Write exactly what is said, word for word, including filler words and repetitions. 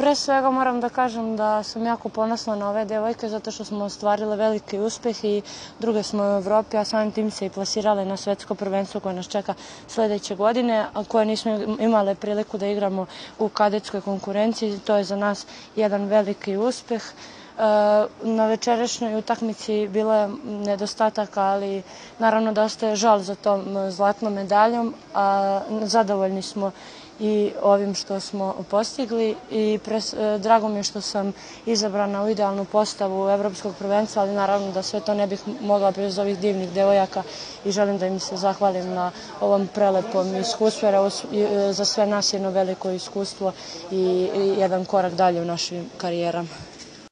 Pre svega moram da kažem da sam jako ponosna na ove devojke zato što smo ostvarile veliki uspeh i druge smo u Evropi, a samim tim se i plasirale na svetsko prvenstvo koje nas čeka sledeće godine, a koje nismo imale priliku da igramo u kadetskoj konkurenciji. To je za nas jedan veliki uspeh. Na večerašnjoj utakmici bilo je nedostataka, ali naravno da ostaje žal za tom zlatnom medaljom, a zadovoljni smo i ovim što smo postigli i drago mi je što sam izabrana u idealnu postavu evropskog prvenstva, ali naravno da sve to ne bih mogla bez ovih divnih devojaka i želim da im se zahvalim na ovom prelepom iskustvu, jer za sve nas je jedno veliko iskustvo i jedan korak dalje u našim karijerama.